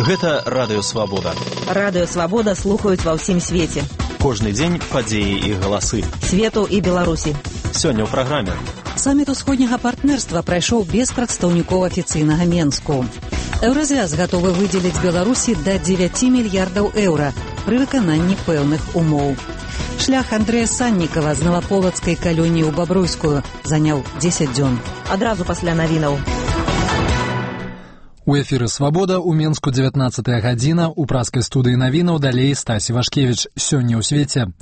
Гэта Радыё Свабода. Радыё Свабода слухаюць ва ўсім свеце. Кожны дзень падзеі і галасы. Свету і Беларусі. Сёння ў праграме. Саміт усходняга партнерства прайшоў без прадстаўнікоў афіцыйнага Менску. Еўразвяз гатовы выдзеліць Беларусі да 9 мільярдаў еўра пры выкананні пэўных умоў. Шлях Андрэя Саннікава з Наваполацкай калоніі ў Бабруйскую заняў 10 дзён. Адразу пасля навінаў. У эфіры «Свабода» у Менску 19-я гадзіна, у праскай студыі навінаў далей Стасі Вашкевіч. Сёння ў свеце.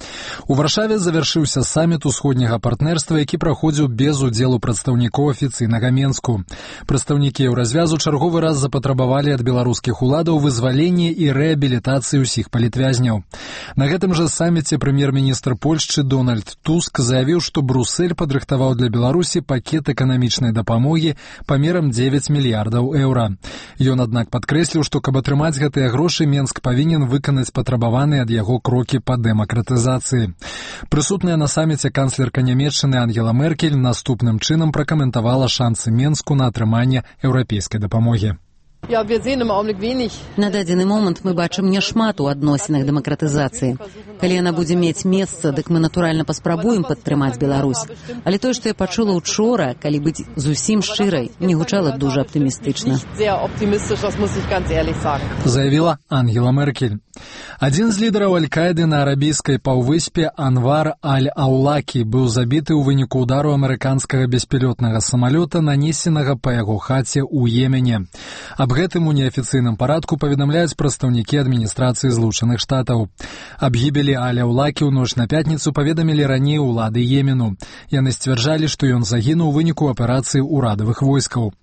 У Варшаве завяршыўся саміт усходняга партнерства, які праходзіў без удзелу прадстаўнікоў афіцыйнага Менску. Прадстаўнікі еўразвязу чарговы раз запатрабавалі ад беларускіх уладаў вызвалення і рэабілітацыі ўсіх палітвязняў. На гэтым жа саміце прэм'ер-міністр Польшчы Дональд Туск заявіў, што Брусэль падрыхтаваў для Беларусі пакет эканамічнай дапамогі памерам 9 мільярдаў еўра. Ён, аднак, падкрэсліў, што каб атрымаць гэтыя грошы, Менск павінен выканаць патрабаваныя ад яго крокі па дэмакратызацыі. Прысутная на саміце канцлерка Нямецчыны Ангела Меркель наступным чынам пракаментавала шансы Менску на атрыманне еўрапейскай дапамогі. На дадзены момант мы бачым няшмат у адносінах дэмакратызацыі. Калі яна будзе мець месца, дык мы натуральна паспрабуем падтрымаць Беларусь. Але тое, што я пачула учора, калі быць зусім шчырай, не гучала дужа аптымістычна. Заявіла Ангела Меркель. Адзін з лідараў Аль-Каіды на арабійскай паўвыспе Анвар Аль-Аулакі быў забіты ў выніку удару амерыканскага беспілётнага самалёта, нанесенага па яго хаце ў Йемене. Аб гэтым у неафіцыйным парадку паведамляюць прадстаўнікі адміністрацыі Злучаных Штатаў. Аб гібелі Аль-Аулакі ў ноч на пятніцу паведамілі раней улады Йемену. Яны сцвярджалі, што ён загінуў у выніку аперацыі ўрадавых войскаў.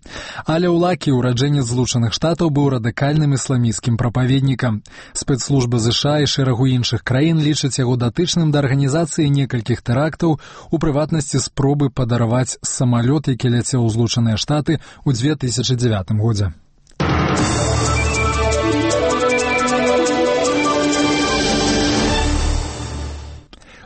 Аль-Аулакі, ураджэнец Злучаных Штатаў, быў радыкальным ісламісцкім прапаведнікам. Спецслужбы США і шэрагу іншых краін лічаць яго датычным да арганізацыі некалькіх тэрактаў, у прыватнасці спробы падарваць самалёт, які ляцеў у Злучаныя Штаты ў 2009 годзе.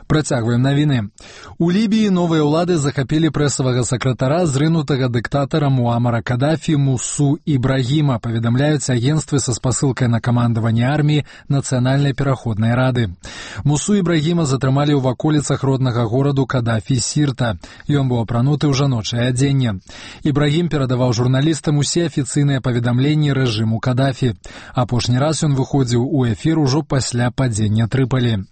Працягваем навіны. У Лібіі новыя ўлады захапілі прэсавага сакратара зрынутага дыктатара Муамара Кадафі Мусу Ібрагіма, паведамляюць агенцтвы са спасылкай на камандаванне арміі Нацыянальнай пераходнай рады. Мусу Ібрагіма затрымалі ў ваколіцах роднага гораду Кадафі Сірта. Ён быў апрануты ў жаночае адзенне. Ібрагім перадаваў журналістам усе афіцыйныя паведамленні рэжыму Кадафі. Апошні раз ён выходзіў у эфір ужо пасля падзення Трыпалі.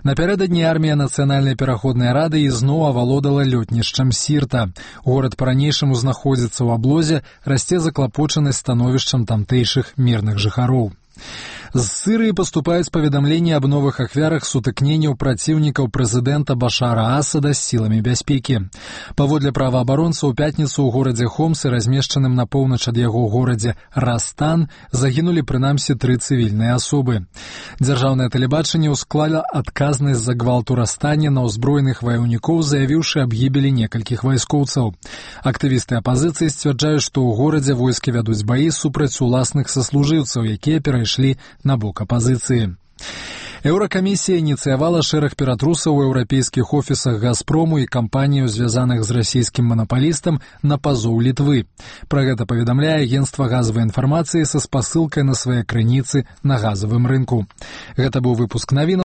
Напярэдадні армія Нацыянальнай пераходнай рады ізноў авалодала лётнішчам Сірта. Горад па-ранейшаму знаходзіцца ў аблозе, расце заклапочанасць становішчам тамтэйшых мірных жыхароў. З Сырыі паступаюць паведамленні аб новых ахвярах сутыкненняў праціўнікаў прэзідэнта Башара Асада з сіламі бяспекі. Паводле праваабаронцаў, у пятніцу ў горадзе Хомс і размешчаным на поўнач ад яго горадзе Растан загінулі прынамсі 3 цывільныя асобы. Дзяржаўнае тэлебачанне ўсклала адказнасць за гвалт у Растане на ўзброеных ваяўнікоў, заявіўшы аб гібелі некалькіх вайскоўцаў. Актывісты апазіцыі сцвярджаюць, што ў горадзе войскі вядуць баі супраць уласных саслужыўцаў, якія перайшлі на бок апазіцыі. Еўракамісія ініцыявала шэраг ператрусаў у еўрапейскіх офісах «Газпрому» і кампаніяў, звязаных з расійскім манапалістам, на пазоў Літвы. Пра гэта паведамляе агенцтва газавай інфармацыі са спасылкай на свае крыніцы на газавым рынку. Гэта быў выпуск навін.